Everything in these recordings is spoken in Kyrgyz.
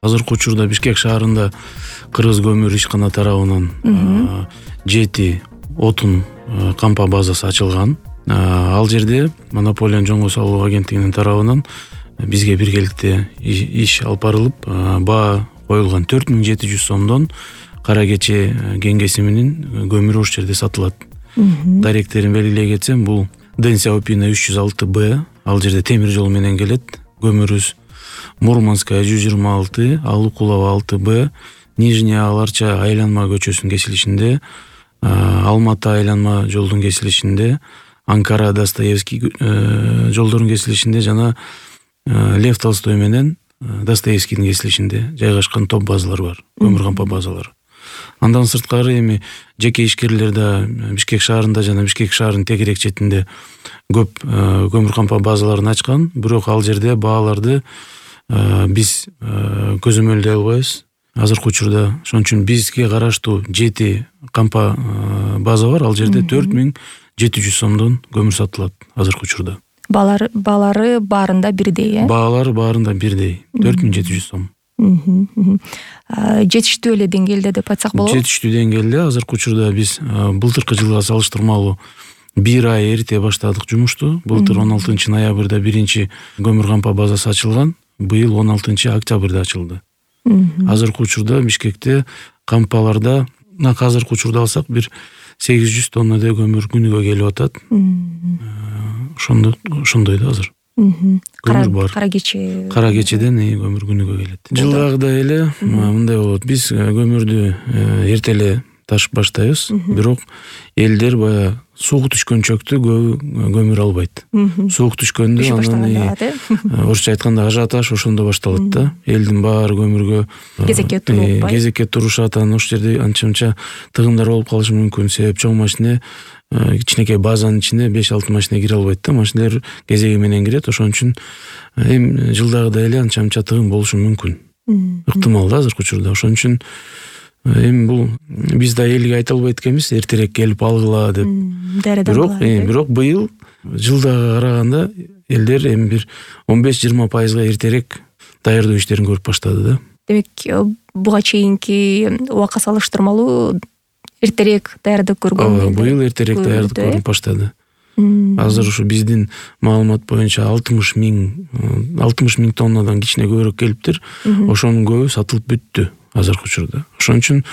Азыркы учурда Бишкек шаарында Кыргыз көмүр ишкана тарабынан 7 отун кампа базасы ачылган. Ал жерде монополиянын жоңго салуу агенттигинин тарабынан бизге биргеликте иш алып барылып, баа коюлган 4700 сомдон кара кече кеңеси менен көмүр ошол жерде сатылат. Даректерин белгилей кетсем, бул Денсия Опина 306Б, ал жерде темир жол менен келет. Көмүрүбүз Мурманская 126, Алукулова 6Б, Нижняя Аларча айланма көчөсүнүн кесилишинде, Алматы айланма жолдун кесилишинде, Анкара Достоевский жолдорунун кесилишинде жана Лев Толстой менен Достоевскийдин кесилишинде жайгашкан топ базалар бар, көмүр кампа базалары. Андан сырткары эми жеке ишкерлер да Бишкек шаарында жана Бишкек шаарынын тегерек четинде көп көмүр кампа базаларын ачкан, бирок ал жерде бааларды биз көзөмөлдөй албайбыз. Азыркы учурда ошон үчүн бизге караштуу 7 кампа база бар, ал жерде 4700 сомдон көмүр сатылат азыркы учурда. Баалары баарында бирдей, э? Баалары баарында бирдей, 4700 сом. Жетиштүү эле деңгээлде деп айтсак болобу? Жетиштүү деңгээлде. Азыркы учурда биз былтыркы жылга салыштырмалуу 1 ай эрте баштадык жумушту. Былтыр 16 ноябрда биринчи көмүр кампа базасы ачылган, быйыл 16 октябрда ачылды. Азыркы учурда Бишкекте кампаларда азыркы учурда алсак бир 800 тоннадай көмүр күнүгө келип атат. Ошондой да азыр. Көмүр бар. Кара кечеден көмүр күнүгө келет. Жылдагыдай эле мындай болот. Биз көмүрдү эрте эле ташып баштайбыз, бирок элдер баягы суук түшкөн чөктү көмүр албайт. Суук түшкөндө анан орусча айтканда ажиотаж ошондо башталат да. Элдин баары көмүргө кезекке турушат, анан ошол жерде анча-мынча тыгындар болуп калышы мүмкүн. Себеп чоң машине кичинекей базанын ичине 5-6 машине кире албайт да. Машинелер кезеги менен кирет. Ошон үчүн эми жылдагыдай эле анча-мынча тыгын болушу мүмкүн. Ыктымал да азыркы учурда. Ошон үчүн эми бул биз да элге айта албайт экенбиз, эртерээк келип алгыла деп. Бирок быйыл жылдага караганда элдер эми бир 15-20% эртерээк даярдоо иштерин көрүп баштады да. Демек, буга чейинки убакка салыштырмалуу эртерээк даярдык көргөн. Быйыл эртерээк даярдык көрүп баштады. Азыр ушу биздин маалымат боюнча 60 миң тоннадан кичине көбүрөөк келиптир. Ошонун көбү сатылып бүттү азыркы учурда. Ошон үчүн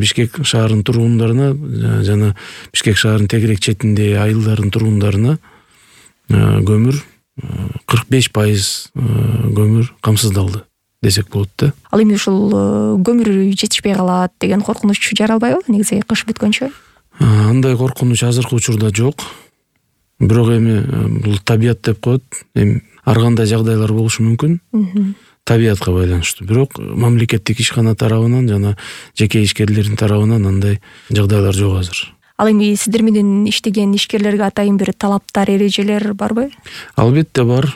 Бишкек шаарынын тургундарына жана Бишкек шаарынын тегерек четинде айылдардын тургундарына көмүр 45% көмүр камсыздалды десек болот да. Ал эми ушул көмүр жетишпей калат деген коркунуч жаралбайбы негизи кыш бүткөнчө? Андай коркунуч азыркы учурда жок. Бирок эми бул табият деп коет. Эми ар кандай жагдайлар болушу мүмкүн. Табиятка байланыштуу. Бирок мамлекеттик ишкана тарабынан жана жеке ишкерлердин тарабынан андай жагдайлар жок азыр. Ал эми сиздер менен иштеген ишкерлерге атайын бир талаптар, эрежелер барбы? Албетте бар.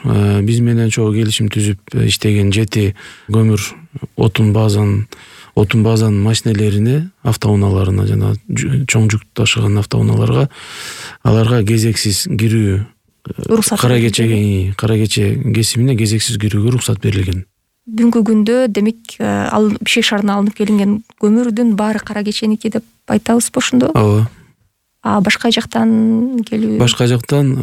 Биз менен чогуу келишим түзүп иштеген 7 көмүр отун базанын машинелерине, автоунааларына жана чоң жүк ташыган автоунааларга аларга кезексиз кирүү, кара кече кесимине кезексиз кирүүгө уруксат берилген. Бүгүнкү күндө демек ал Бишкек шаарына алынып келинген көмүрдүн баары кара кеченики деп айтабызбы ошондо? Ооба. Башка жактан келүү? Башка жактан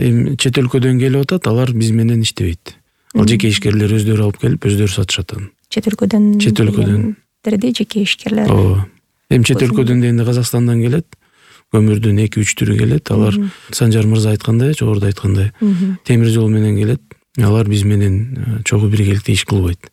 эми чет өлкөдөн келип атат, алар биз менен иштебейт. Ал жеке ишкерлер өздөрү алып келип, өздөрү сатышат аны. Чет өлкөдөн жеке ишкерлер. Ооба. Эми чет өлкөдөн дегенде Казакстандан келет. Көмүрдүн 2-3 түрү келет. Алар Санжар мырза айткандай, жогоруда айткандай, темир жол менен келет. Алар биз менен чогуу биргеликте иш кылбайт.